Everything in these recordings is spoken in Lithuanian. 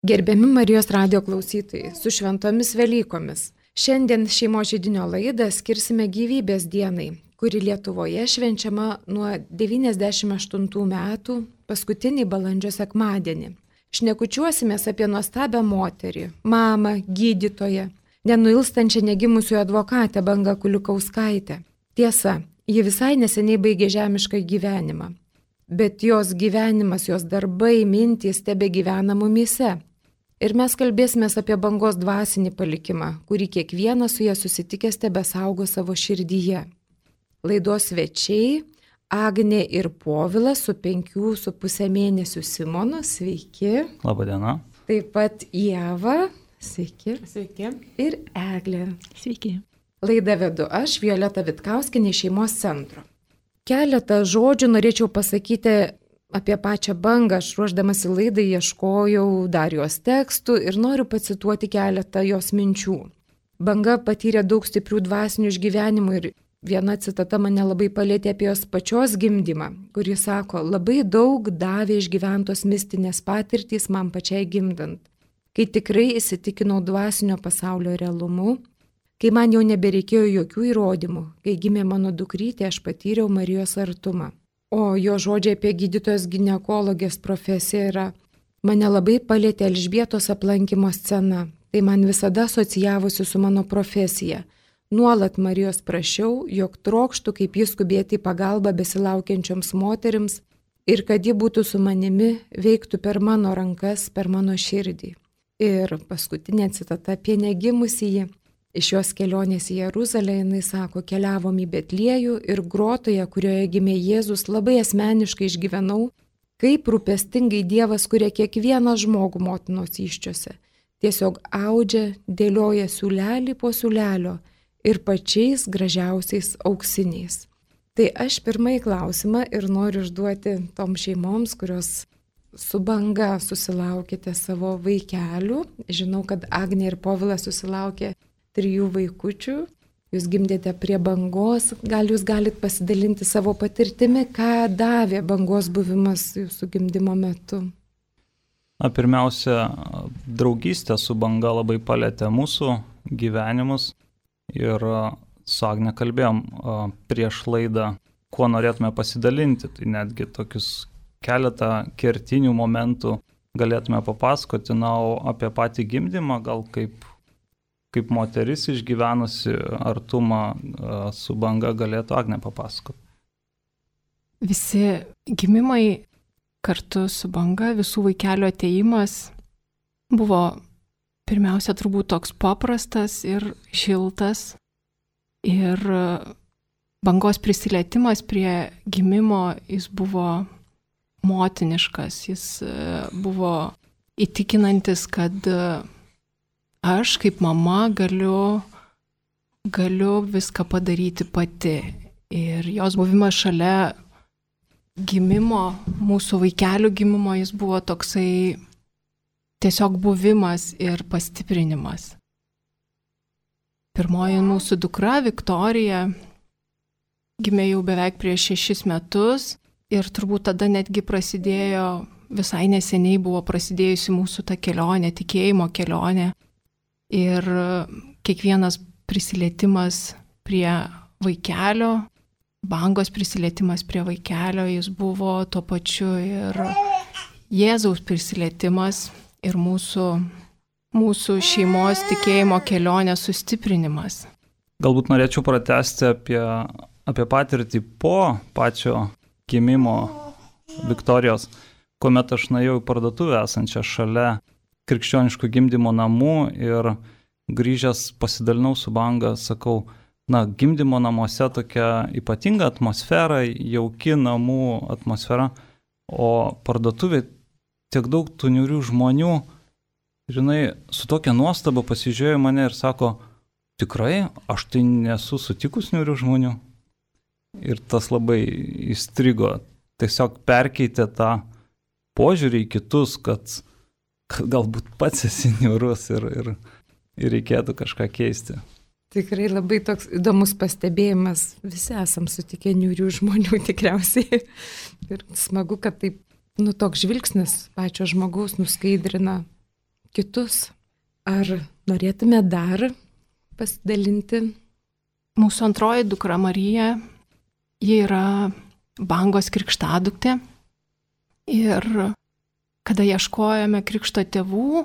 Gerbiami Marijos radijo klausytojai, su šventomis Velykomis. Šiandien šeimos židinio laidą skirsime gyvybės dienai, kuri Lietuvoje švenčiama nuo 98 metų paskutinį balandžio sekmadienį. Šnekučiuosimės apie nuostabią moterį, mamą, gydytoją, nenuilstančią negimusių advokatę Bangą Kuliukauskaitę. Tiesa, ji visai neseniai baigė žemišką gyvenimą, bet jos gyvenimas, jos darbai, mintys tebegyvena mumyse. Ir mes kalbėsime apie Bangos dvasinį palikimą, kurį kiekvienas su ja susitikęs tebesaugo savo širdyje. Laidos svečiai Agnė ir Povilas su 5,5 mėnesių Simonu, sveiki. Labadiena. Taip pat Ieva, sveiki. Sveiki. Ir Eglė. Sveiki. Laidą vedu aš, Violeta Vitkauskinė, šeimos centro. Keletą žodžių norėčiau pasakyti apie pačią Bangą. Aš ruošdamasi laidai ieškojau dar jos tekstų ir noriu pacituoti keletą jos minčių. Banga patyrė daug stiprių dvasinių išgyvenimų ir viena citata mane labai palėtė apie jos pačios gimdymą, kuri sako, labai daug davė išgyventos mistinės patirtys man pačiai gimdant, kai tikrai įsitikinau dvasinio pasaulio realumu, kai man jau nebereikėjo jokių įrodymų, kai gimė mano dukrytė, aš patyriau Marijos artumą. O jo žodžiai apie gydytojos ginekologės profesiją yra, mane labai palėtė Elžbietos aplankymo scena, tai man visada asocijavosi su mano profesija. Nuolat Marijos prašiau, jog trokštų kaip jis skubėti į pagalbą besilaukiančioms moterims ir kad ji būtų su manimi, veiktų per mano rankas, per mano širdį. Ir paskutinė citata apie negimusįjį. Iš jos kelionės į Jeruzalę jinai sako, keliavom į Betliejų ir grotoje, kurioje gimė Jėzus, labai asmeniškai išgyvenau, kaip rūpestingai Dievas kuria kiekvieną žmogų motinos įsčiose. Tiesiog audžia, dėlioja siūlelį po siūlelio ir pačiais gražiausiais auksiniais. Tai aš pirmąjį klausimą ir noriu užduoti tom šeimoms, kurios su Banga susilaukėte savo vaikelių. Žinau, kad Agnė ir Povilas susilaukė 3 vaikučių. Jūs gimdėte prie Bangos. Gal jūs galit pasidalinti savo patirtimi, ką davė Bangos buvimas jūsų gimdymo metu? Pirmiausia, draugystė su Banga labai palėtė mūsų gyvenimus ir su Agne kalbėjom prieš laidą, kuo norėtume pasidalinti. Tai netgi tokius keletą kertinių momentų galėtume papasakoti, o apie patį gimdymą gal kaip moteris išgyvenusi artumą su Banga galėtų Agnė papasakoti. Visi gimimai kartu su Banga, visų vaikelių atėjimas buvo pirmiausia turbūt toks paprastas ir šiltas. Ir Bangos prisilietimas prie gimimo, jis buvo motiniškas, jis buvo įtikinantis, kad aš kaip mama galiu viską padaryti pati. Ir jos buvimas šalia gimimo, mūsų vaikelių gimimo, jis buvo toksai tiesiog buvimas ir pastiprinimas. Pirmoji mūsų dukra, Viktorija, gimė jau beveik prieš 6 metus ir turbūt tada netgi visai neseniai buvo prasidėjusi mūsų ta kelionė, tikėjimo kelionė. Ir kiekvienas prisilietimas prie vaikelio, Bangos prisilietimas prie vaikelio, jis buvo tuo pačiu ir Jėzaus prisilietimas ir mūsų šeimos tikėjimo kelionės sustiprinimas. Galbūt norėčiau pratęsti apie patirtį po pačio gimimo Viktorijos, kuomet aš nuėjau į parduotuvę esančią šalia krikščioniškų gimdymo namų ir grįžęs pasidalinau su Banga, sakau, gimdymo namuose tokia ypatinga atmosfera, jauki namų atmosfera, o parduotuvė tiek daug tų niūrių žmonių, žinai, su tokia nuostaba pasižiūrėjo mane ir sako, tikrai, aš tai nesu sutikus niūrių žmonių. Ir tas labai įstrigo, tiesiog perkeitė tą požiūrį į kitus, kad galbūt pats esi niūrus ir reikėtų kažką keisti. Tikrai labai toks įdomus pastebėjimas. Visi esam sutikę niūrių žmonių tikriausiai. Ir smagu, kad taip, toks žvilgsnis pačio žmogaus nuskaidrina kitus. Ar norėtume dar pasidalinti? Mūsų antroji dukra Marija, ji yra Bangos krikštaduktė. Ir kada ieškojome krikšto tėvų,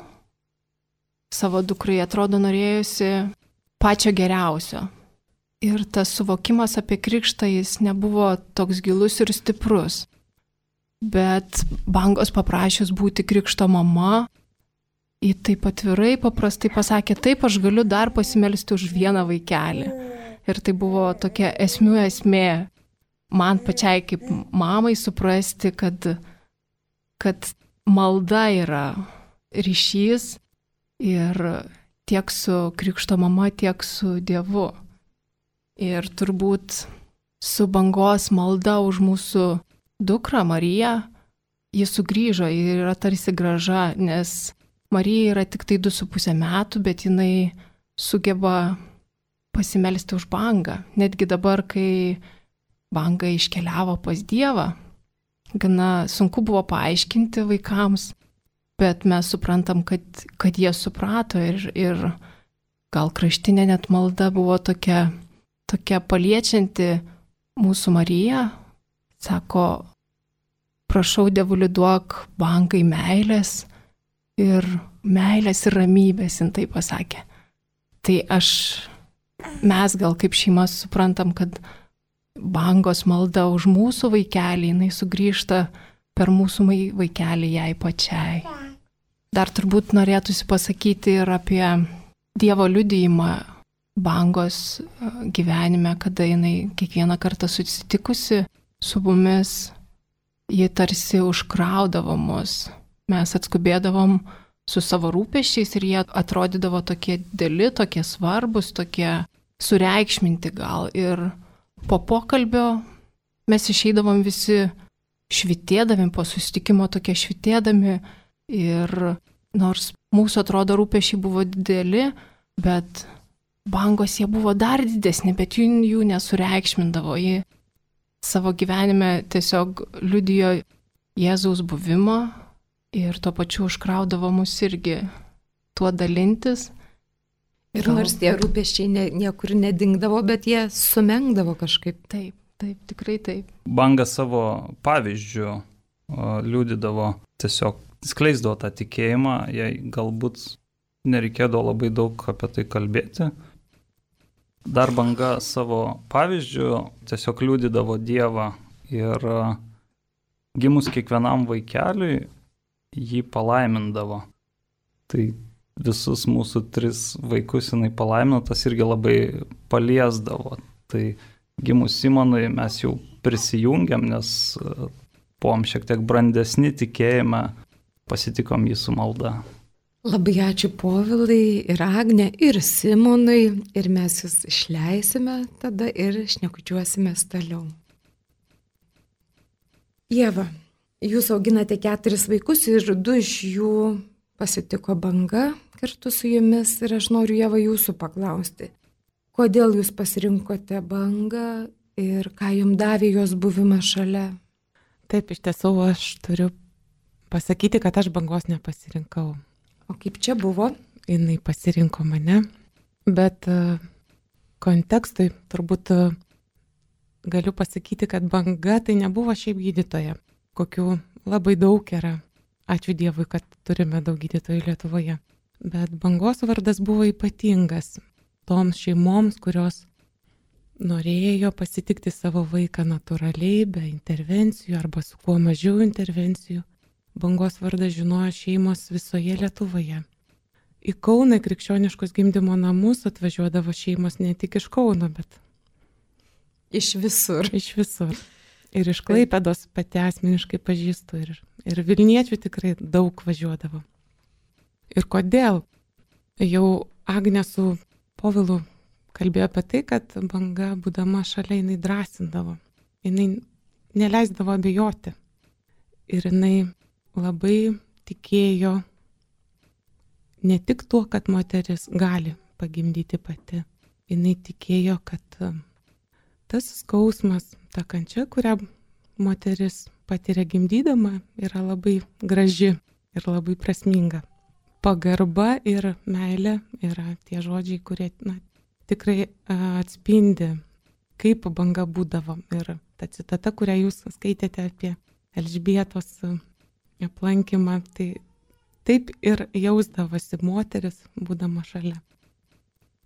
savo dukrai atrodo norėjusi pačio geriausio. Ir tas suvokimas apie krikštą jis nebuvo toks gilus ir stiprus. Bet Bangos paprašius būti krikšto mama, ji taip atvirai, paprastai pasakė, taip, aš galiu dar pasimelsti už vieną vaikelį. Ir tai buvo tokia esmė man pačiai kaip mamai suprasti, kad malda yra ryšys ir tiek su krikšto mama, tiek su Dievu. Ir turbūt su Bangos malda už mūsų dukrą Mariją, ji sugrįžo ir yra tarsi graža, nes Marija yra tik tai 2,5 metų, bet jinai sugeba pasimelsti už Bangą. Netgi dabar, kai Banga iškeliavo pas Dievą, gana sunku buvo paaiškinti vaikams, bet mes suprantam, kad jie suprato ir gal kraštinė net malda buvo tokia paliečianti mūsų Mariją. Sako, prašau Dievuli duok Bangai meilės ir ramybės, jin tai pasakė. Tai mes gal kaip šeima suprantam, kad Bangos malda už mūsų vaikelį, jinai sugrįžta per mūsų vaikelį jai pačiai. Dar turbūt norėtųsi pasakyti ir apie Dievo liudijimą Bangos gyvenime, kada jinai kiekvieną kartą susitikusi su mumis, ji tarsi užkraudavo mus. Mes atskubėdavom su savo rūpesčiais ir jie atrodydavo tokie dideli, tokie svarbus, tokie sureikšminti gal. Ir po pokalbio mes išeidavom visi švitėdami, po susitikimo tokie švitėdami. Ir nors mūsų atrodo rūpesčiai buvo dideli, bet Bangos jie buvo dar didesni, bet jų nesureikšmindavo. Ji savo gyvenime tiesiog liudijo Jėzaus buvimą ir tuo pačiu užkraudavo mus irgi tuo dalintis. Ir nors tie rūpesčiai niekur nedingdavo, bet jie sumenkdavo kažkaip. Taip, tikrai taip. Banga savo pavyzdžių liudydavo, tiesiog skleisdavo tą tikėjimą, jai galbūt nereikėdavo labai daug apie tai kalbėti. Dar Banga savo pavyzdžių tiesiog liudydavo Dievą ir gimus kiekvienam vaikeliui jį palaimindavo. Tai visus mūsų 3 vaikus jinai palaimino, tas irgi labai paliesdavo. Tai gimus Simonui mes jau prisijungiam, nes buvom šiek tiek brandesni tikėjime, pasitikom jį su malda. Labai ačiū Povilai ir Agne ir Simonui ir mes jūs išleisime tada ir šnekučiuosimės toliau. Ieva, jūs auginate 4 vaikus ir 2 iš jų pasitiko Banga kartu su jumis ir aš noriu Ieva jūsų paklausti. Kodėl jūs pasirinkote Bangą ir ką jums davė jos buvimas šalia? Taip, iš tiesų aš turiu pasakyti, kad aš Bangos nepasirinkau. O kaip čia buvo? Jinai pasirinko mane, bet kontekstui turbūt galiu pasakyti, kad Banga tai nebuvo šiaip gydytoja, kokių labai daug yra. Ačiū Dievui, kad turime daug gydytojų Lietuvoje. Bet Bangos vardas buvo ypatingas toms šeimoms, kurios norėjo pasitikti savo vaiką natūraliai, be intervencijų arba su kuo mažiau intervencijų. Bangos vardą žinojo šeimos visoje Lietuvoje. Į Kauną krikščioniškus gimdymo namus atvažiuodavo šeimos ne tik iš Kauno, bet iš visur. Iš visur. Ir iš Klaipėdos pati asmeniškai pažįstu ir Vilniečių tikrai daug važiuodavo. Ir kodėl? Jau Agnė su Povilu kalbėjo apie tai, kad Banga, būdama šalia, jinai drąsindavo. Jinai neleisdavo abejoti. Ir jinai labai tikėjo ne tik tuo, kad moteris gali pagimdyti pati. Jinai tikėjo, kad tas skausmas, ta kančia, kurią moteris patiria gimdydama, yra labai graži ir labai prasminga. pagarba ir meilė yra tie žodžiai, kurie tikrai atspindi, kaip banga būdavo. Ir ta citata, kurią jūs skaitėte apie Elžbietos aplankymą, tai taip ir jausdavosi moteris, būdama šalia.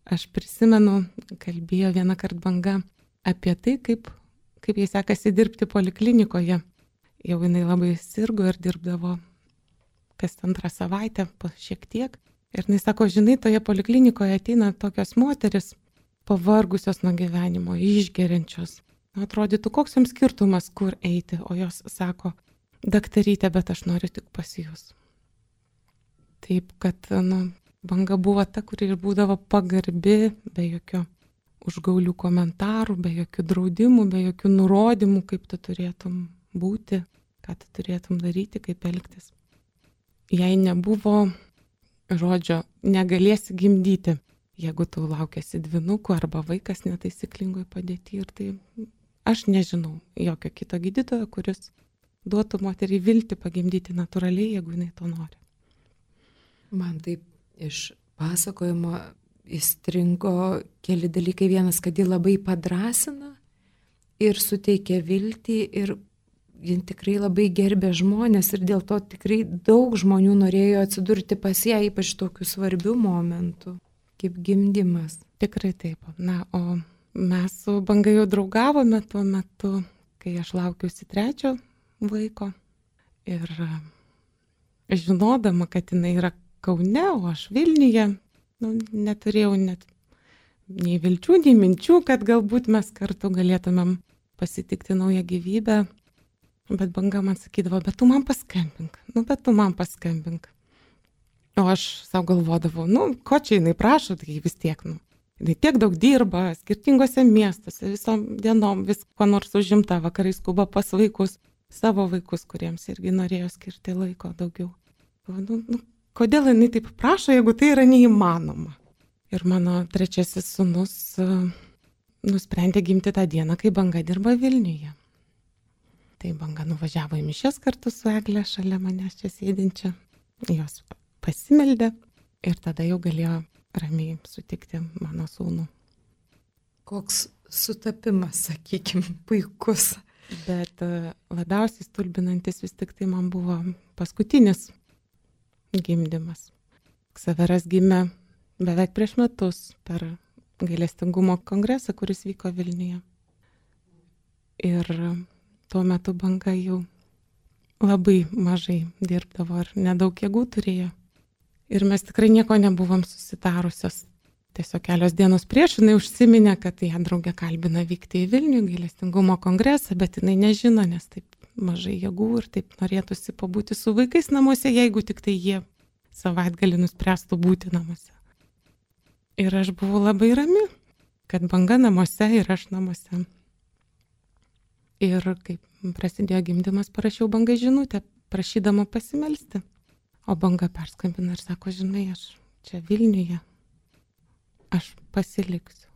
Aš prisimenu, kalbėjo vieną kartą banga apie tai, kaip jai sekasi dirbti poliklinikoje. Jau jinai labai sirgo ir dirbdavo kas 2 savaitę, šiek tiek. Ir jinai sako, žinai, toje poliklinikoje ateina tokios moteris, pavargusios nuo gyvenimo, išgeriančios. Atrodytų, koks jums skirtumas, kur eiti, o jos sako, daktarytė, bet aš noriu tik pas jūs. Taip, kad, banga buvo ta, kuri ir būdavo pagarbi, be jokio užgaulių komentarų, be jokių draudimų, be jokių nurodymų, kaip tu turėtum būti, ką tu turėtum daryti, kaip elgtis. Jei nebuvo žodžio, negalėsi gimdyti, jeigu tu laukiasi dvynukų arba vaikas netaisyklingoj padėty. Ir tai aš nežinau jokio kito gydytojo, kuris duotų moteriai viltį pagimdyti natūraliai, jeigu jinai to nori. Man taip iš pasakojimo įstringo keli dalykai. Vienas, kad ji labai padrasina ir suteikia viltį ir ji tikrai labai gerbė žmonės ir dėl to tikrai daug žmonių norėjo atsidurti pas ją, ypač tokių svarbių momentų, kaip gimdymas. Tikrai taip. O mes su banga jau draugavome tuo metu, kai aš laukiausi 3 vaiko ir žinodama, kad jinai yra Kaune, o aš Vilniuje, neturėjau net nei vilčių, nei minčių, kad galbūt mes kartu galėtumėm pasitikti naują gyvybę. Bet banga man sakydavo, bet tu man paskambink. O aš savo galvodavau, ko čia jinai prašo, tai vis tiek, jinai tiek daug dirba, skirtingose miestuose, visom dienom, vis ko nors užimta, vakarai skuba pas vaikus, savo vaikus, kuriems irgi norėjo skirti laiko daugiau. Kodėl jinai taip prašo, jeigu tai yra neįmanoma? Ir mano 3 sūnus nusprendė gimti tą dieną, kai banga dirba Vilniuje. Tai banga nuvažiavo į mišias kartu su Egle, šalia manęs čia sėdinčia. Jos pasimeldė ir tada jau galėjo ramiai sutikti mano sūnų. Koks sutapimas, sakykim, puikus. Bet labiausiai stulbinantis vis tik tai man buvo paskutinis gimdymas. Ksaveras gimė beveik prieš metus per gailestingumo kongresą, kuris vyko Vilniuje. Ir tuo metu banga jau labai mažai dirbdavo ir nedaug jėgų turėjo. Ir mes tikrai nieko nebuvom susitarusios. Tiesiog kelios dienos prieš jinai užsiminė, kad ją draugė kalbina vykti į Vilnių gailestingumo kongresą, bet jinai nežino, nes taip mažai jėgų ir taip norėtųsi pabūti su vaikais namuose, jeigu tik tai jie savaitgalį nuspręstų būti namuose. Ir aš buvau labai rami, kad banga namuose ir aš namuose. Ir kaip prasidėjo gimdymas, parašiau bangai žinutę, prašydama pasimelsti. O banga perskambina ir sako, žinai, aš čia Vilniuje, aš pasiliksiu.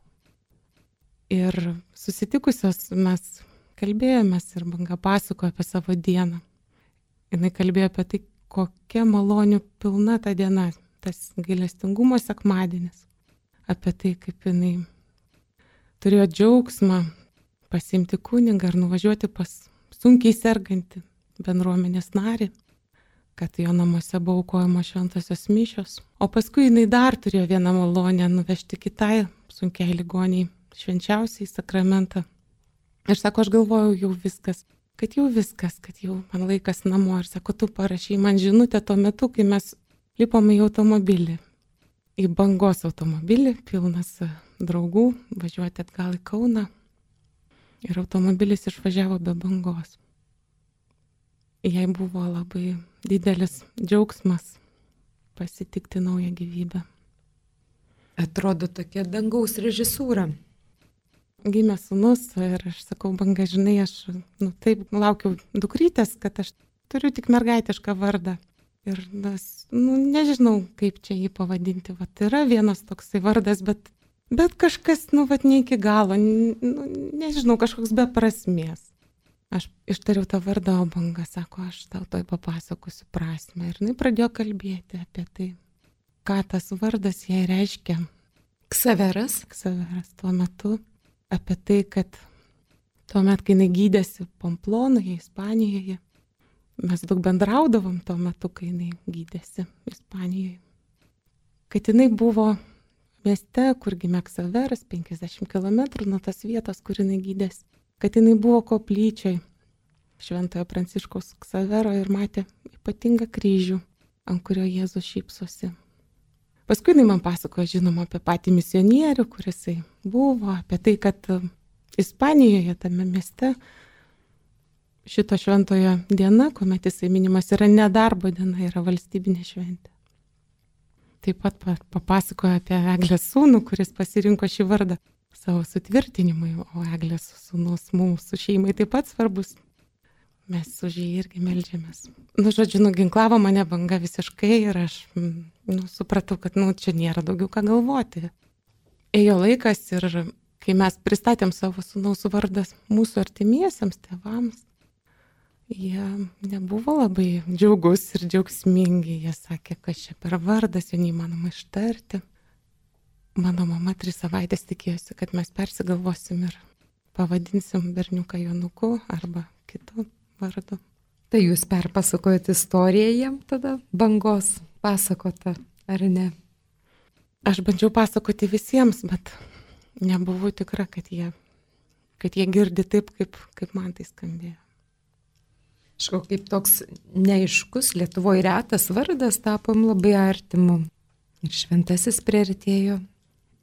Ir susitikusios mes kalbėjomės ir banga pasakojo apie savo dieną. Jinai kalbėjo apie tai, kokia malonių pilna ta diena, tas gailestingumo sekmadienis. Apie tai, kaip jinai turėjo džiaugsmą pasiimti kunigą ir nuvažiuoti pas sunkiai sergantį bendruomenės narį, kad jo namuose buvo aukojamos šventosios mišios. O paskui jinai dar turėjo vieną malonę nuvežti kitai sunkiai ligoniai švenčiausiai sakramentą. Ir sako, aš galvojau jau viskas, kad jau man laikas namo. Ir sako, tu parašai man žinutę tuo metu, kai mes lipome į automobilį. Į bangos automobilį, pilnas draugų, važiuoti atgal į Kauną. Ir automobilis išvažiavo be bangos. Jai buvo labai didelis džiaugsmas pasitikti naują gyvybę. Atrodo tokia dangaus režisūra. Gimė sūnus ir aš sakau, banga, žinai, aš taip laukiau dukrytės, kad aš turiu tik mergaitišką vardą. Ir nežinau, kaip čia jį pavadinti. Yra vienas toksai vardas, bet kažkas, ne iki galo, nežinau, kažkoks be prasmės. Aš ištariau tą vardą, o banga sako, aš tau toj papasakosiu prasmę. Ir jinai pradėjo kalbėti apie tai, ką tas vardas jai reiškia. Ksaveras. Ksaveras tuo metu. Apie tai, kad tuo metu, kai jinai gydėsi Pamplonoje, Ispanijoje, mes daug bendraudavom tuo metu, kai jinai gydėsi Ispanijoje. Kad jinai buvo mieste, kur gimė Ksaveras, 50 km nuo tas vietos, kur jinai gydėsi. Kad jinai buvo koplyčioj Šventojo Pranciškaus Ksavero ir matė ypatingą kryžių, ant kurio Jėzus šypsosi. Paskui jinai man pasakojo, žinoma, apie patį misionierių, kuris buvo, apie tai, kad Ispanijoje, tame mieste, šito šventojo diena, kuomet jisai minimas, yra nedarbo diena, yra valstybinė šventė. Taip pat papasakojo apie Eglės sūnų, kuris pasirinko šį vardą savo sutvirtinimui, o Eglės sūnus mūsų šeimai taip pat svarbus. Mes už jį irgi meldžiamės. Žodžiu, nuginklavo mane banga visiškai ir aš supratau, kad čia nėra daugiau ką galvoti. Ėjo laikas ir kai mes pristatėm savo sūnaus vardas mūsų artimiesiems tėvams, jie nebuvo labai džiaugus ir džiaugsmingi. Jie sakė, kad čia per vardas, jo neįmanoma ištarti. Mano mama 3 savaitės tikėjosi, kad mes persigalvosim ir pavadinsim berniuką Jonuku arba kitu vardu. Tai jūs perpasakojate istoriją jiem tada, bangos pasakota, ar ne? Aš bandžiau pasakoti visiems, bet nebuvau tikra, kad jie girdi taip, kaip man tai skambėjo. Kažkoks kaip toks neaiškus, Lietuvoje retas vardas tapom labai artimu. Ir šventasis priartėjo.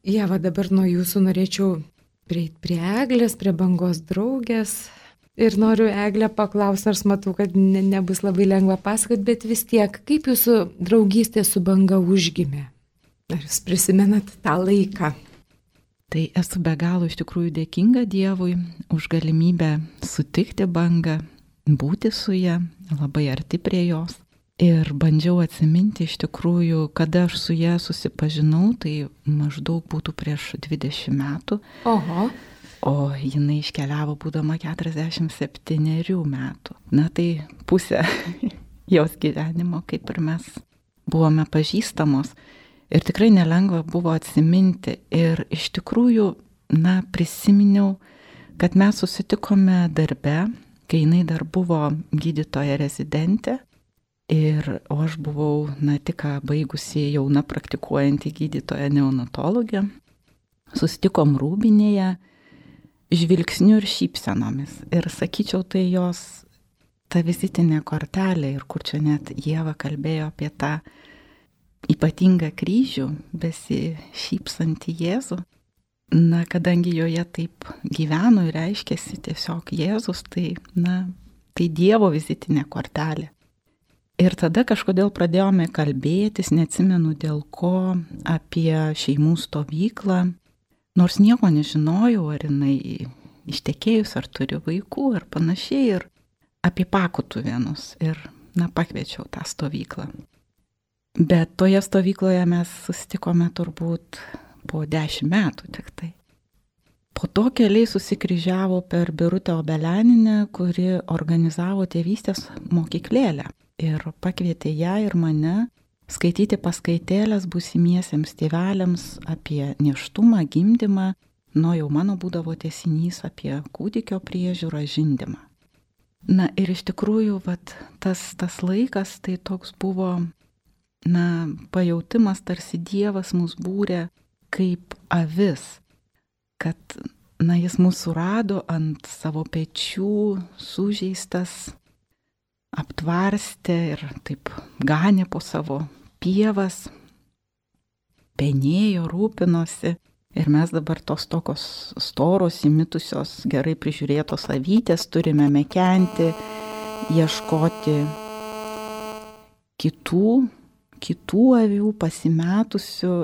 Ieva, dabar nuo jūsų norėčiau prieiti prie Eglės, prie bangos draugės. Ir noriu Eglę paklausti, nors matau, kad nebus labai lengva pasakoti, bet vis tiek, kaip jūsų draugystė su banga užgimė? Ar jūs prisimenat tą laiką? Tai esu be galo iš tikrųjų dėkinga Dievui už galimybę sutikti bangą, būti su ja, labai arti prie jos. Ir bandžiau atsiminti iš tikrųjų, kada aš su ja susipažinau, tai maždaug būtų prieš 20 metų. Oho. O jinai iškeliavo būdama 47 metų. Na tai pusė jos gyvenimo, kaip ir mes buvome pažįstamos. Ir tikrai nelengva buvo atsiminti. Ir iš tikrųjų, prisiminiau, kad mes susitikome darbe, kai jinai dar buvo gydytoja rezidentė. O aš buvau, tik baigusi jauna praktikuojanti gydytoja neonatologė. Susitikom Rūbinėje, žvilgsniu ir šypsenomis. Ir sakyčiau, tai jos ta vizitinė kortelė, ir kur čia net Ieva kalbėjo apie tą ypatingą kryžių, besišypsantį Jėzų. Kadangi joje taip gyveno ir reiškėsi tiesiog Jėzus, tai Dievo vizitinė kortelė. Ir tada kažkodėl pradėjome kalbėtis, neatsimenu dėl ko, apie šeimų stovyklą. Nors nieko nežinojau, ar jinai ištekėjus, ar turi vaikų, ar panašiai, ir apie Pakutuvėnus. Ir, pakviečiau tą stovyklą. Bet toje stovykloje mes susitikome turbūt po 10 metų tik tai. Po to keliai susikryžiavo per Birutę Obelianinę, kuri organizavo tėvystės mokyklėlę. Ir pakvietė ją ir mane skaityti paskaitėlės būsimiesiems tėveliams apie nėštumą, gimdymą, jau mano būdavo tęsinys apie kūdikio priežiūrą, žindymą. Ir iš tikrųjų, tas laikas tai toks buvo, pajautimas, tarsi Dievas mus būrė kaip avis, kad, jis mus surado ant savo pečių, sužeistas, aptvarstė ir taip ganė po savo pievas, penėjo, rūpinosi. Ir mes dabar tos tokios storos, įmitusios, gerai prižiūrėtos avytės turime mekenti, ieškoti kitų avių pasimetusių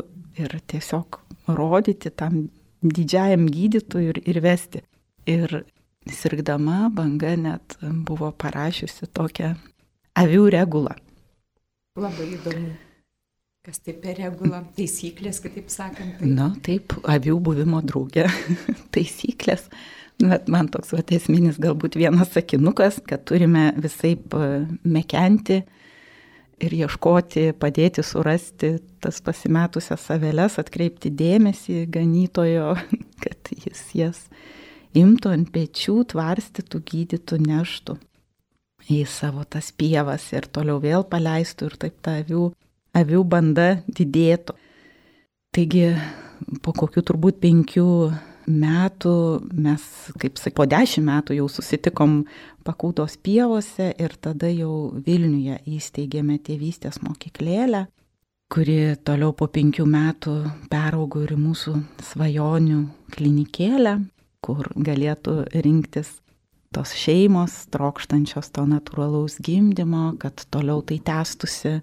ir tiesiog rodyti tam didžiajam gydytojui ir vesti. Ir sirgdama banga net buvo parašiusi tokią avių regulą. Labai įdomu. Kas tai per regulą? Taisyklės, kitaip sakant. Taip, avių buvimo drauge taisyklės. Bet man toks esminis galbūt vienas sakinukas, kad turime visaip mekenti ir ieškoti, padėti surasti tas pasimetusias aveles, atkreipti dėmesį ganytojo, kad jis jas imtų ant pečių, tvarstytų, gydytų, neštų į savo tas pievas ir toliau vėl paleistų ir taip ta avių banda didėtų. Taigi po kokių turbūt 5 metų mes, kaip sakiau, po 10 metų jau susitikom Pakūdos pievose ir tada jau Vilniuje įsteigėme tėvystės mokyklėlę, kuri toliau po 5 metų peraugo ir mūsų svajonių klinikėlę, kur galėtų rinktis tos šeimos, trokštančios to natūralaus gimdymo, kad toliau tai tęstusi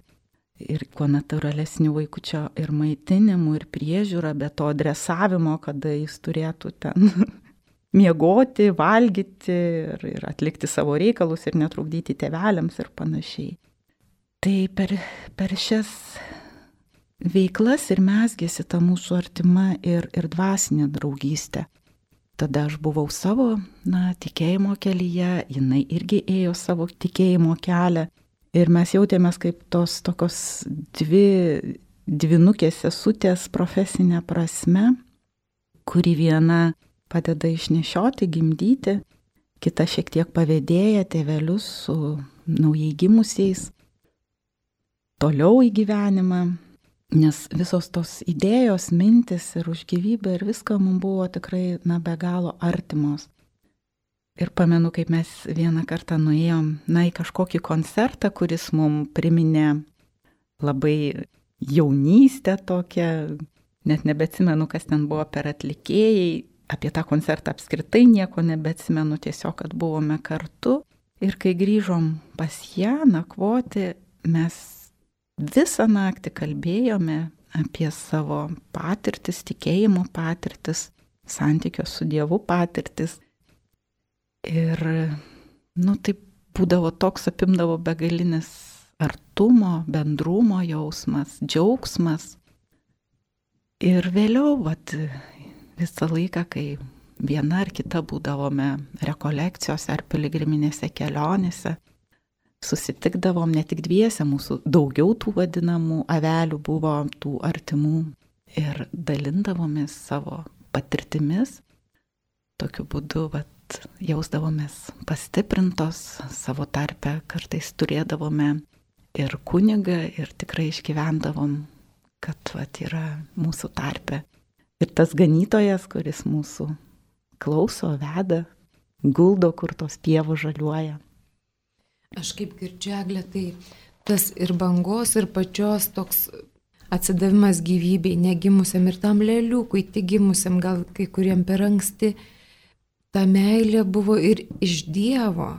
ir kuo natūralesnių vaikučio ir maitinimų, ir priežiūra, be to adresavimo, kada jis turėtų ten miegoti, valgyti ir atlikti savo reikalus ir netrukdyti tėveliams ir panašiai. Tai per šias veiklas ir mezgėsi ta mūsų artima ir dvasinė draugystė. Tada aš buvau savo, tikėjimo kelyje, jinai irgi ėjo savo tikėjimo kelią. Ir mes jautėmės kaip tos tokios dvinukės sesutės profesinė prasme, kuri viena padeda išnešioti, gimdyti, kita šiek tiek pavėdėja tėvelius su naujai gimusiais toliau į gyvenimą. Nes visos tos idėjos, mintis ir už gyvybę ir viską mums buvo tikrai be galo artimos. Ir pamenu, kaip mes vieną kartą nuėjom į kažkokį koncertą, kuris mums priminė labai jaunystę tokią, net nebeatsimenu, kas ten buvo per atlikėjai, apie tą koncertą apskritai nieko nebeatsimenu, tiesiog, kad buvome kartu. Ir kai grįžom pas ją nakvoti, mes visą naktį kalbėjome apie savo patirtis, tikėjimo patirtis, santykio su Dievu patirtis. Ir, taip būdavo toks, apimdavo begalinis artumo, bendrumo jausmas, džiaugsmas. Ir vėliau, visą laiką, kai viena ar kita būdavome rekolekcijose ar piligriminėse kelionėse, susitikdavom ne tik dviese, mūsų daugiau tų vadinamų avelių buvo, tų artimų, ir dalindavomės savo patirtimis. Tokiu būdu jausdavomės pastiprintos savo tarpe, kartais turėdavome ir kunigą ir tikrai išgyvendavom, kad yra mūsų tarpe. Ir tas ganytojas, kuris mūsų klauso, veda, guldo, kur tos pievos žaliuoja. Aš kaip girdžiu, Eglė, tai tas ir bangos, ir pačios toks atsidavimas gyvybei, negimusiam ir tam lėliukui, tik gimusiam, gal kai kuriem per anksti, ta meilė buvo ir iš Dievo,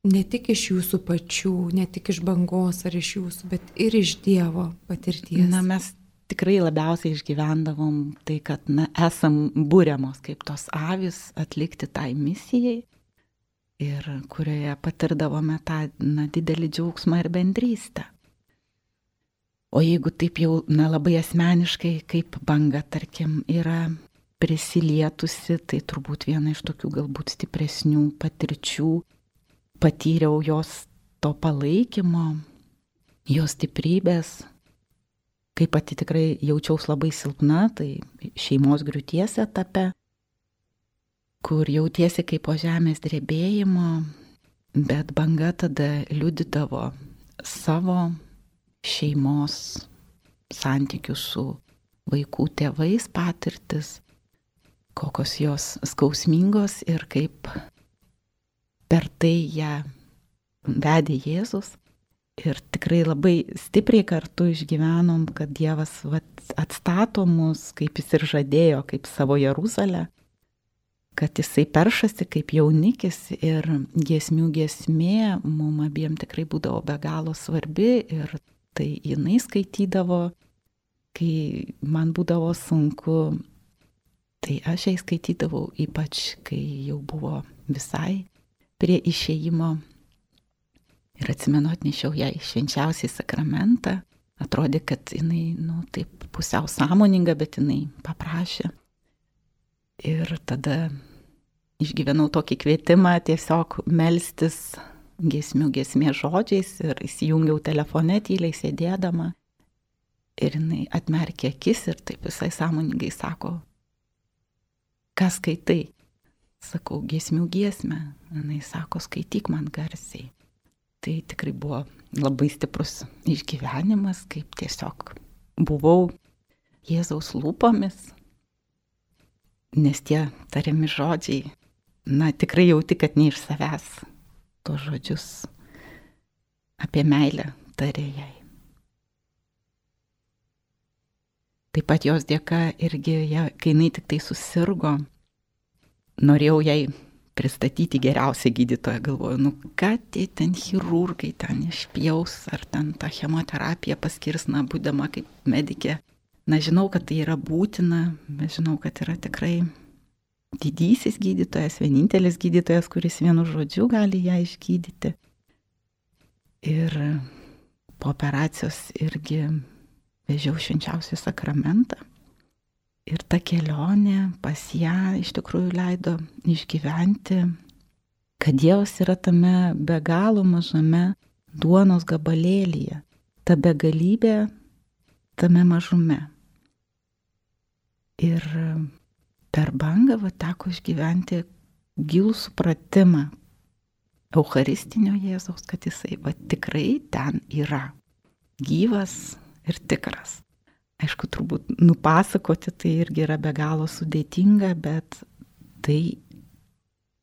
ne tik iš jūsų pačių, ne tik iš bangos ar iš jūsų, bet ir iš Dievo patirties. Mes tikrai labiausiai išgyvendavom tai, kad esam būriamos kaip tos avys atlikti tai misijai. Ir kurioje patirdavome tą didelį džiaugsmą ir bendrystę. O jeigu taip jau labai asmeniškai, kaip banga, tarkim, yra prisilietusi, tai turbūt viena iš tokių galbūt stipresnių patirčių, patyriau jos to palaikymo, jos stiprybės, kai pati tikrai jaučiaus labai silpna, tai šeimos griūties etape, kur jautiesi kaip po žemės drebėjimo, bet banga tada liudydavo savo šeimos santykių su vaikų tėvais patirtis, kokios jos skausmingos ir kaip per tai ją vedė Jėzus. Ir tikrai labai stipriai kartu išgyvenom, kad Dievas atstato mus, kaip jis ir žadėjo, kaip savo Jeruzalę, kad jisai peršasi kaip jaunikis ir giesmių giesmė mum abiem tikrai būdavo be galo svarbi ir tai jinai skaitydavo, kai man būdavo sunku, tai aš jai skaitydavau, ypač kai jau buvo visai prie išėjimo. Ir atsimenu, atnešiau ją į švenčiausią sakramentą, atrodė, kad jinai, taip pusiau sąmoninga, bet jinai paprašė. Ir tada išgyvenau tokį kvietimą tiesiog melstis giesmės žodžiais ir įsijungiau telefone tyliai sėdėdama. Ir jinai atmerkė akis ir taip visai sąmoningai sako, ką skaitai? Sakau, giesmę. Jinai sako, skaityk man garsiai. Tai tikrai buvo labai stiprus išgyvenimas, kaip tiesiog buvau Jėzaus lūpomis, nes tie tariami žodžiai, tikrai jauti, kad ne iš savęs tos žodžius apie meilę tarė jai. Taip pat jos dėka irgi, kai jinai tik tai susirgo, norėjau jai pristatyti geriausią gydytoją, galvoju, ką tie ten chirurgai ten išpjaus, ar ten tą chemoterapiją paskirs, būdama kaip medikė. Žinau, kad tai yra būtina, bet žinau, kad yra tikrai didysis gydytojas, vienintelis gydytojas, kuris vienu žodžiu gali ją išgydyti. Ir po operacijos irgi vežiau švenčiausią sakramentą. Ir ta kelionė pas ją iš tikrųjų leido išgyventi, kad Dievas yra tame be galo mažame duonos gabalėlyje, ta begalybė tame mažume. Ir per bangą teko išgyventi gilų supratimą Eucharistinio Jėzaus, kad jisai tikrai ten yra, gyvas ir tikras. Aišku, turbūt nupasakoti tai irgi yra be galo sudėtinga, bet tai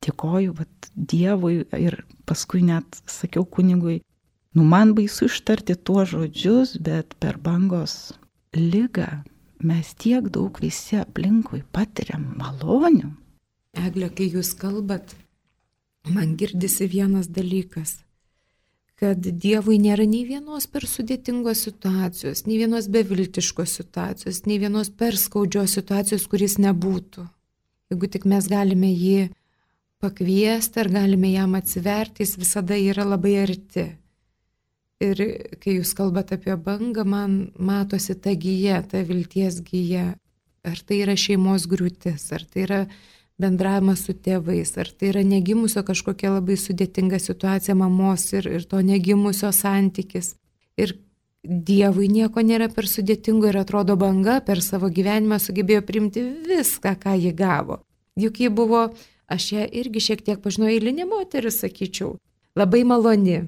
dėkoju Dievui ir paskui net sakiau kunigui, man baisu ištarti tuos žodžius, bet per bangos ligą mes tiek daug visi aplinkui patiriam malonių. Egle, kai jūs kalbat, man girdisi vienas dalykas, kad Dievui nėra nei vienos per sudėtingos situacijos, nei vienos beviltiškos situacijos, nei vienos per skaudžios situacijos, kuris nebūtų. Jeigu tik mes galime jį pakviesti ar galime jam atsiverti, jis visada yra labai arti. Ir kai jūs kalbat apie bangą, man matosi ta gija, ta vilties gija. Ar tai yra šeimos griūtis, ar tai yra bendravimas su tėvais, ar tai yra negimusio kažkokia labai sudėtinga situacija mamos ir to negimusio santykis. Ir Dievui nieko nėra per sudėtingo ir atrodo banga per savo gyvenimą sugebėjo priimti viską, ką ji gavo. Juk ji buvo, aš ją irgi šiek tiek pažinau, eilinė moteris, sakyčiau, labai maloni,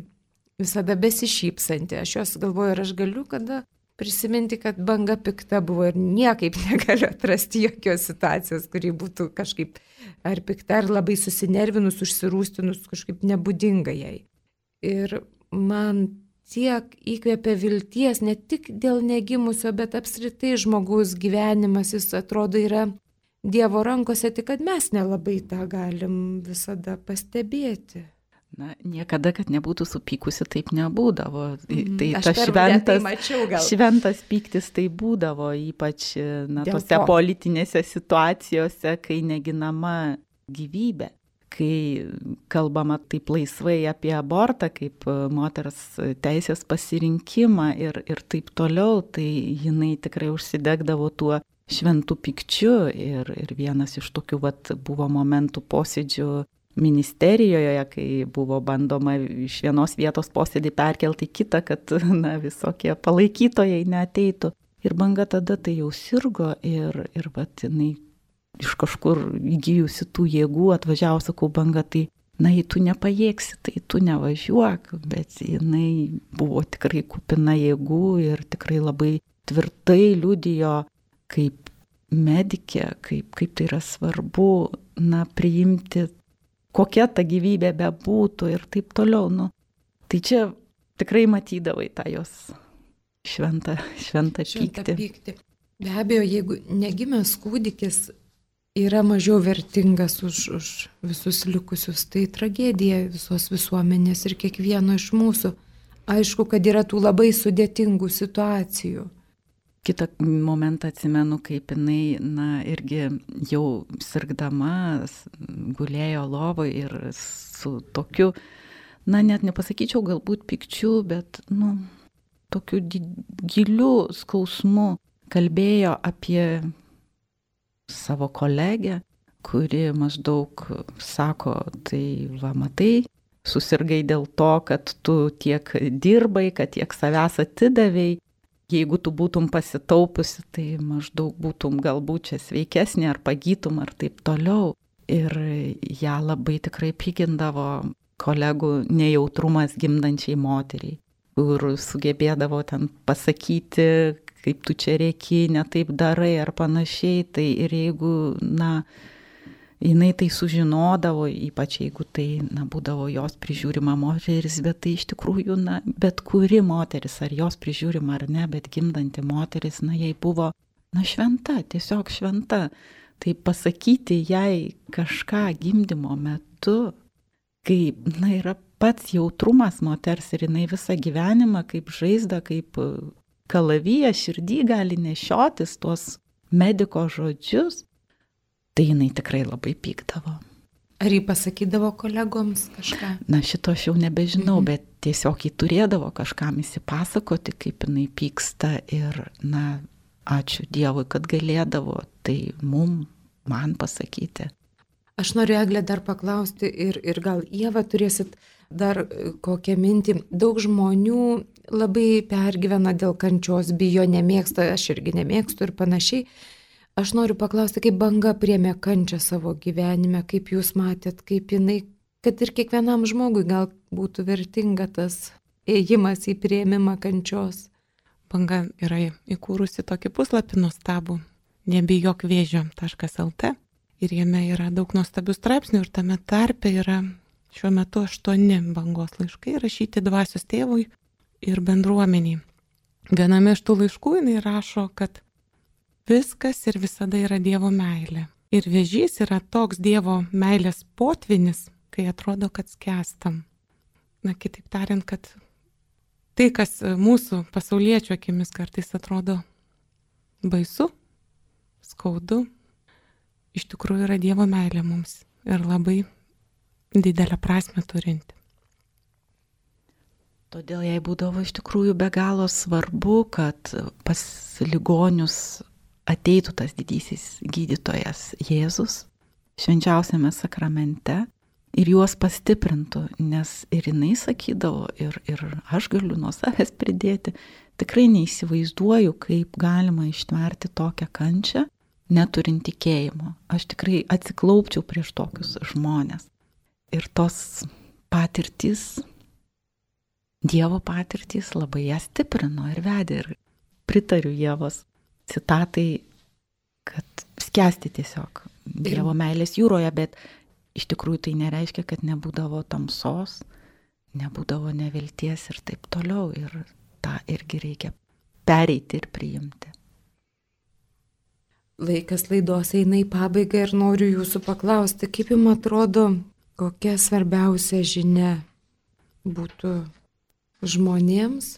visada besišypsanti. Aš jos galvoju, ar aš galiu kada prisiminti, kad banga pikta buvo ir niekaip negaliu atrasti jokios situacijos, kuri būtų kažkaip ar pikta, ar labai susinervinus, užsirūstinus, kažkaip nebūdinga jai. Ir man tiek įkvėpia vilties, ne tik dėl negimusio, bet apskritai žmogaus gyvenimas, jis atrodo yra Dievo rankose, tik kad mes nelabai tą galim visada pastebėti. Niekada, kad nebūtų supykusi, taip nebūdavo. Tai tas šventas pyktis tai būdavo, ypač tose politinėse situacijose, kai neginama gyvybė. Kai kalbama taip laisvai apie abortą, kaip moters teisės pasirinkimą ir taip toliau, tai jinai tikrai užsidegdavo tuo šventų pykčiu. Ir vienas iš tokių buvo momentų posėdžių ministerijoje, kai buvo bandoma iš vienos vietos posėdį perkelti į kitą, kad visokie palaikytojai neateitų. Ir banga tada tai jau sirgo ir jinai iš kažkur įgijusi tų jėgų atvažiavo, sakau, banga, tai jei tu nepajėgsi, tai tu nevažiuok, bet jinai buvo tikrai kupina jėgų ir tikrai labai tvirtai liudijo kaip medikė, kaip tai yra svarbu, priimti kokia ta gyvybė bebūtų ir taip toliau. Tai čia tikrai matydavai tą jos šventą pyktį. Be abejo, jeigu negimęs kūdikis yra mažiau vertingas už visus likusius, tai tragedija visos visuomenės ir kiekvieno iš mūsų. Aišku, kad yra tų labai sudėtingų situacijų. Kitą momentą atsimenu, kaip jinai, irgi jau sirgdama, gulėjo lovoje ir su tokiu, net nepasakyčiau galbūt pykčiu, bet, tokiu giliu skausmu kalbėjo apie savo kolegę, kuri maždaug sako, tai matai, susirgai dėl to, kad tu tiek dirbai, kad tiek savęs atidavėjai. Jeigu tu būtum pasitaupusi, tai maždaug būtum galbūt čia sveikesnė ar pagytum ar taip toliau. Ir ją labai tikrai pykindavo kolegų nejautrumas gimdančiai moteriai, kur sugebėdavo ten pasakyti, kaip tu čia rėki, ne taip darai ar panašiai. Tai ir jeigu, jinai tai sužinodavo, ypač jeigu tai, būdavo jos prižiūrima moteris, bet tai iš tikrųjų, bet kuri moteris, ar jos prižiūrima ar ne, bet gimdanti moteris, jai buvo, šventa, tiesiog šventa. Tai pasakyti jai kažką gimdymo metu, kai, yra pats jautrumas moters ir jinai visą gyvenimą kaip žaizdą, kaip kalaviją širdį gali nešiotis tuos mediko žodžius, tai jinai tikrai labai pykdavo. Ar jį pasakydavo kolegoms kažką? Šito aš jau nebežinau, bet tiesiog jį turėdavo kažkam įsipasakoti, kaip jinai pyksta ir, ačiū Dievui, kad galėdavo tai man pasakyti. Aš noriu, Eglė, dar paklausti ir gal Ieva turėsit dar kokią mintį. Daug žmonių labai pergyvena dėl kančios, bijo, nemėgsta, aš irgi nemėgstu ir panašiai. Aš noriu paklausti, kaip Banga priėmė kančią savo gyvenime, kaip jūs matėt, kaip jinai, kad ir kiekvienam žmogui gal būtų vertinga tas ėjimas į priėmimą kančios. Banga yra įkūrusi tokį puslapį nuostabų, nebijokvėžio.lt, ir jame yra daug nuostabių straipsnių ir tame tarpe yra šiuo metu 8 Bangos laiškai rašyti dvasios tėvui ir bendruomeniai. Viename iš tų laiškų jinai rašo, kad viskas ir visada yra Dievo meilė. Ir vėžys yra toks Dievo meilės potvinis, kai atrodo, kad skęstam. Kitaip tariant, kad tai, kas mūsų pasauliečių akimis kartais atrodo baisu, skaudu, iš tikrųjų yra Dievo meilė mums ir labai didelę prasmę turinti. Todėl jai būdavo iš tikrųjų be galo svarbu, kad pas ligonius ateitų tas didysis gydytojas Jėzus švenčiausiame sakramente ir juos pastiprintų, nes ir jinai sakydavo, ir aš galiu nuo savęs pridėti, tikrai neįsivaizduoju, kaip galima ištverti tokią kančią, neturint tikėjimo. Aš tikrai atsiklaupčiau prieš tokius žmonės. Ir tos patirtys, Dievo patirtys labai ją stiprino ir vedė. Ir pritariu Ievos citatai, kad skęsti tiesiog Dievo meilės jūroje, bet iš tikrųjų tai nereiškia, kad nebūdavo tamsos, nebūdavo nevilties ir taip toliau. Ir tą irgi reikia pereiti ir priimti. Laikas laidos eina į pabaigą ir noriu jūsų paklausti, kaip jums atrodo, kokia svarbiausia žinia būtų žmonėms,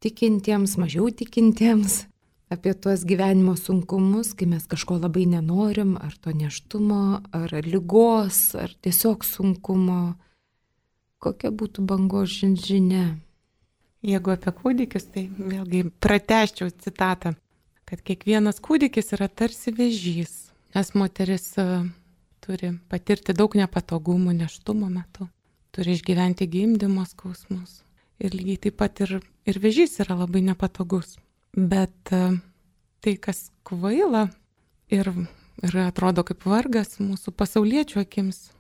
tikintiems, mažiau tikintiems, apie tuos gyvenimo sunkumus, kai mes kažko labai nenorim, ar to nėštumo, ar ligos, ar tiesiog sunkumo. Kokia būtų Bangos žinia? Jeigu apie kūdikius, tai vėlgi pratęsčiau citatą, kad kiekvienas kūdikis yra tarsi vėžys, nes moteris turi patirti daug nepatogumų nėštumo metu, turi išgyventi gimdymo skausmus. Ir lygiai taip pat ir vėžys yra labai nepatogus. Bet tai, kas kvaila ir atrodo kaip vargas mūsų pasauliečių akims,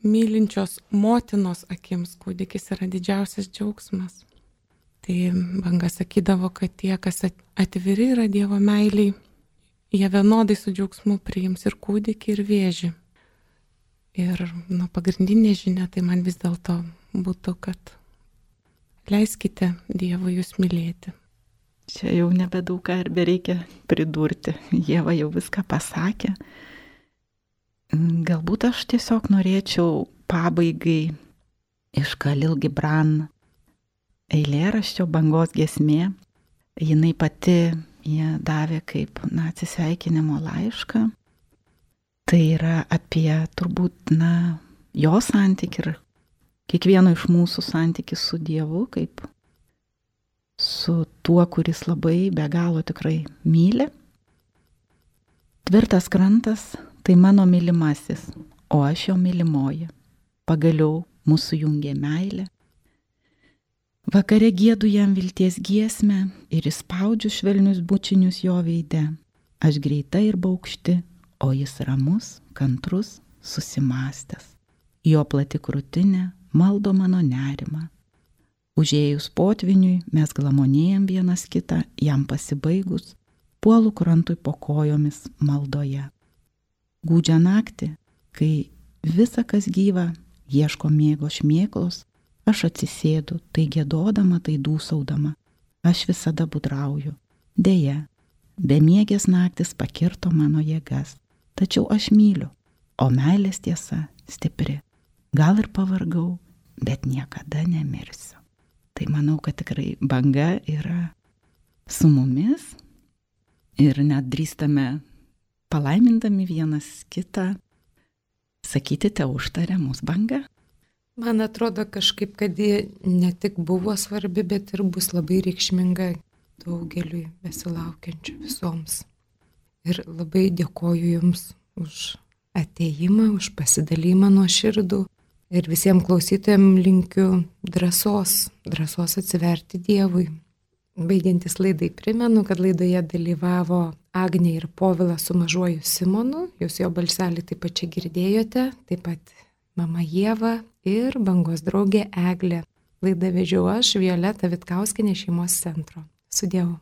mylinčios motinos akims, kūdikis yra didžiausias džiaugsmas. Tai Banga sakydavo, kad tie, kas atviri yra Dievo meiliai, jie vienodai su džiaugsmu priims ir kūdikį, ir vėžį. Ir pagrindinė žinia tai man vis dėlto būtų, kad leiskite Dievui jūs mylėti. Čia jau nebedaug ką ir bereikia pridurti. Ieva jau viską pasakė. Galbūt aš tiesiog norėčiau pabaigai iš Khalil Gibran eilėraščio Bangos giesmė. Jinai pati ją davė kaip atsisveikinimo laišką. Tai yra apie turbūt jo santykį ir kiekvieno iš mūsų santykį su Dievu, kaip su tuo, kuris labai be galo tikrai myli. Tvirtas krantas tai mano mylimasis, o aš jo mylimoji. Pagaliau mūsų jungia meilė. Vakare giedu jam vilties giesmę ir įspaudžiu švelnius bučinius jo veide. Aš greita ir baukšti, o jis ramus, kantrus, susimastęs. Jo plati krūtinė maldo mano nerimą. Užėjus potviniui mes glamonėjam vienas kitą, jam pasibaigus, puolu krantui po kojomis maldoje. Gūdžią naktį, kai visa kas gyva ieško miego šmėklos, aš atsisėdu, tai giedodama, tai dūsaudama. Aš visada budrauju. Deja, bemiegės naktis pakirto mano jėgas. Tačiau aš myliu, o meilės tiesa stipri. Gal ir pavargau, bet niekada nemirsiu. Tai manau, kad tikrai banga yra su mumis ir net drįstame palaimindami vienas kitą sakyti, te užtarė mūsų banga. Man atrodo kažkaip, kad ji ne tik buvo svarbi, bet ir bus labai reikšminga daugeliui besilaukiančių visoms. Ir labai dėkoju Jums už atėjimą, už pasidalymą nuoširdų. Ir visiems klausytojams linkiu drąsos atsiverti Dievui. Baigiantis laidai primenu, kad laidoje dalyvavo Agnė ir Povilas su mažuoju Simonu. Jūs jo balselį taip pat čia girdėjote, taip pat mama Ieva ir bangos draugė Eglė. Laidą vedžiau aš, Violeta Vitkauskienė, Šeimos centro. Su Dievu.